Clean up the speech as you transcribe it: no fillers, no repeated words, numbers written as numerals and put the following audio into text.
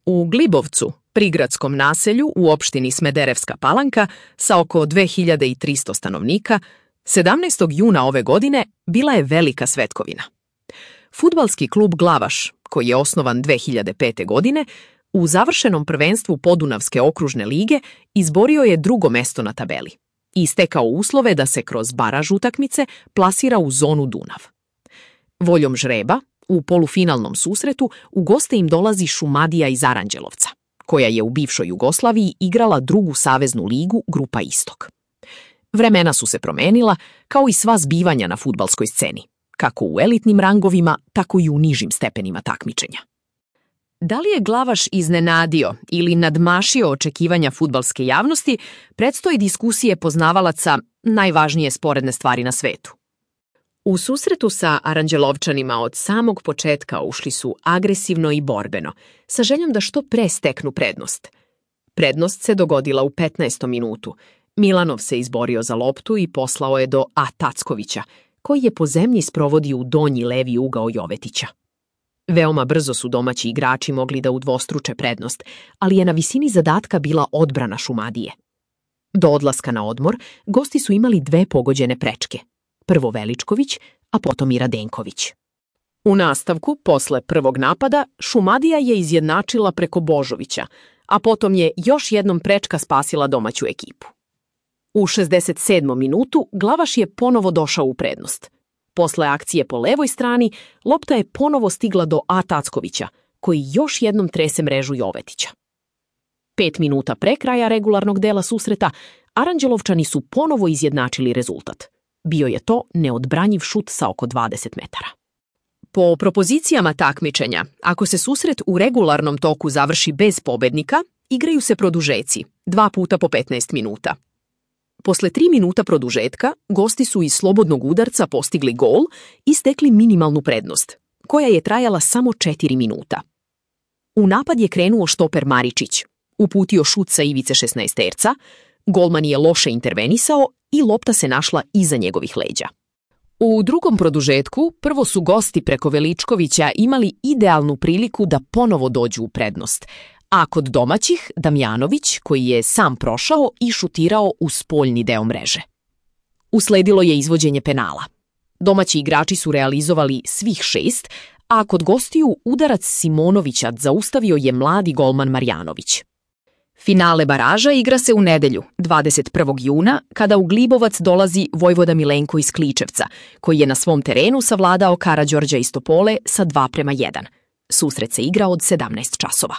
U Glibovcu, prigradskom naselju u opštini Smederevska Palanka sa oko 2300 stanovnika, 17. juna ove godine bila je velika svetkovina. Fudbalski klub Glavaš, koji je osnovan 2005. godine, u završenom prvenstvu Podunavske okružne lige izborio je drugo mesto na tabeli i stekao uslove da se kroz baraž utakmice plasira u zonu Dunav. Voljom žreba, u polufinalnom susretu u goste im dolazi Šumadija iz Aranđelovca, koja je u bivšoj Jugoslaviji igrala drugu saveznu ligu Grupa Istok. Vremena su se promenila, kao i sva zbivanja na fudbalskoj sceni, kako u elitnim rangovima, tako i u nižim stepenima takmičenja. Da li je Glavaš iznenadio ili nadmašio očekivanja fudbalske javnosti, predstoji diskusije poznavalaca najvažnije sporedne stvari na svetu. U susretu sa Aranđelovčanima od samog početka ušli su agresivno i borbeno, sa željom da što pre steknu prednost. Prednost se dogodila u 15. minutu. Milanov se izborio za loptu i poslao je do A. Tackovića, koji je po zemlji sprovodio u donji levi ugao Jovetića. Veoma brzo su domaći igrači mogli da udvostruče prednost, ali je na visini zadatka bila odbrana Šumadije. Do odlaska na odmor, gosti su imali 2 pogođene prečke. Prvo Veličković, a potom i Radenković. U nastavku, posle prvog napada, Šumadija je izjednačila preko Božovića, a potom je još jednom prečka spasila domaću ekipu. U 67. minutu Glavaš je ponovo došao u prednost. Posle akcije po levoj strani, lopta je ponovo stigla do A. Tackovića, koji još jednom trese mrežu Jovetića. 5 minuta pre kraja regularnog dela susreta, Aranđelovčani su ponovo izjednačili rezultat. Bio je to neodbranjiv šut sa oko 20 metara. Po propozicijama takmičenja, ako se susret u regularnom toku završi bez pobednika, igraju se produžeci, 2 puta po 15 minuta. Posle 3 minuta produžetka, gosti su iz slobodnog udarca postigli gol i stekli minimalnu prednost, koja je trajala samo 4 minuta. U napad je krenuo štoper Maričić, uputio šut sa ivice 16-terca, golman je loše intervenisao i lopta se našla iza njegovih leđa. U drugom produžetku prvo su gosti preko Veličkovića imali idealnu priliku da ponovo dođu u prednost, a kod domaćih Damjanović, koji je sam prošao i šutirao u spoljni deo mreže. Usledilo je izvođenje penala. Domaći igrači su realizovali svih 6, a kod gostiju udarac Simonovića zaustavio je mladi golman Marjanović. Finale baraža igra se u nedelju, 21. juna, kada u Glibovac dolazi Vojvoda Milenko iz Kličevca, koji je na svom terenu savladao Karađorđa iz Topole sa 2:1. Susret se igra od 17 časova.